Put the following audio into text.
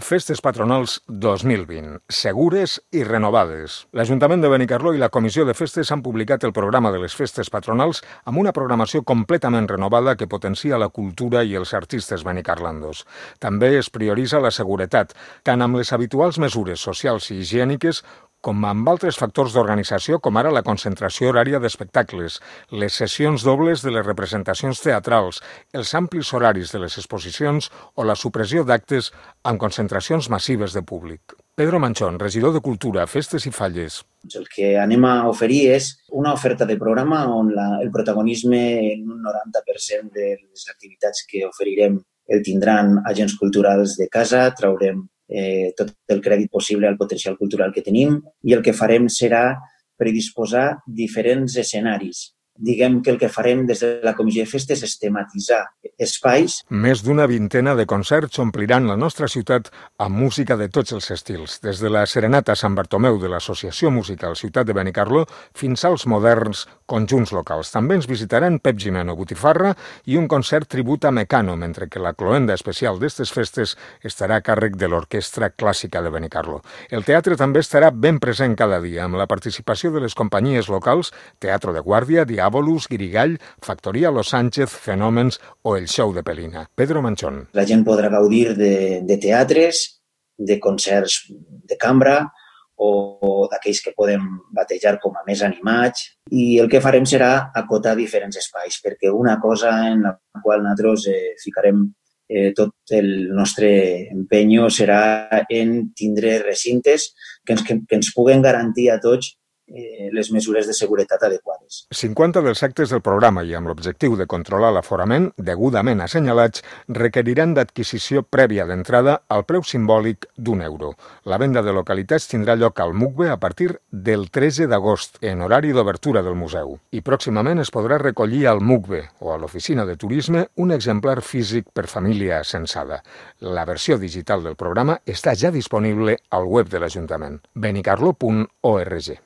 Festes Patronals 2020, segures i renovades. L'Ajuntament de Benicarló i la Comissió de Festes han publicat el programa de les Festes Patronals amb una programació completament renovada que potencia la cultura i els artistes benicarlandos. També es prioritza la seguretat, tant amb les habituals mesures socials i higièniques com amb altres factors d'organització, com ara la concentració horària d'espectacles, les sessions dobles de les representacions teatrals, els amplis horaris de les exposicions o la supressió d'actes amb concentracions massives de públic. Pedro Manchón, regidor de Cultura, Festes i Falles. El que anem a oferir és una oferta de programa on el protagonisme en un 90% de les activitats que oferirem el tindran agents culturals de casa, traurem tot el crèdit possible al potencial cultural que tenim i el que farem serà predisposar diferents escenaris. Diguem que el que farem des de la Comissió de Festes és tematitzar espais. Més d'una vintena de concerts ompliran la nostra ciutat amb música de tots els estils, des de la Serenata Sant Bartomeu de l'Associació Musical Ciutat de Benicarló fins als moderns conjunts locals. També ens visitaran Pep Gimeno, Botifarra i un concert tribut a Mecano, mentre que la cloenda especial d'estes festes estarà a càrrec de l'Orquestra Clàssica de Benicarló. El teatre també estarà ben present cada dia, amb la participació de les companyies locals, Teatro de Guàrdia, Diàbolus, Guirigall, Factoria Los Sánchez, Fenòmens o el Show de Pelina. Pedro Manchón. La gent podrà gaudir de teatres, de concerts de cambra o d'aquells que podem batejar com a més animats. I el que farem serà acotar diferents espais, perquè una cosa en la qual nosaltres ficarem tot el nostre empenyo serà en tindre recintes que ens puguen garantir a tots les mesures de seguretat adequades. 50 dels actes del programa i amb l'objectiu de controlar l'aforament, degudament assenyalats, requeriran d'adquisició prèvia d'entrada al preu simbòlic d'€1. La venda de localitats tindrà lloc al MUCBE a partir del 13 d'agost, en horari d'obertura del museu. I pròximament es podrà recollir al MUCBE o a l'oficina de turisme un exemplar físic per família censada. La versió digital del programa està ja disponible al web de l'Ajuntament, benicarlo.org.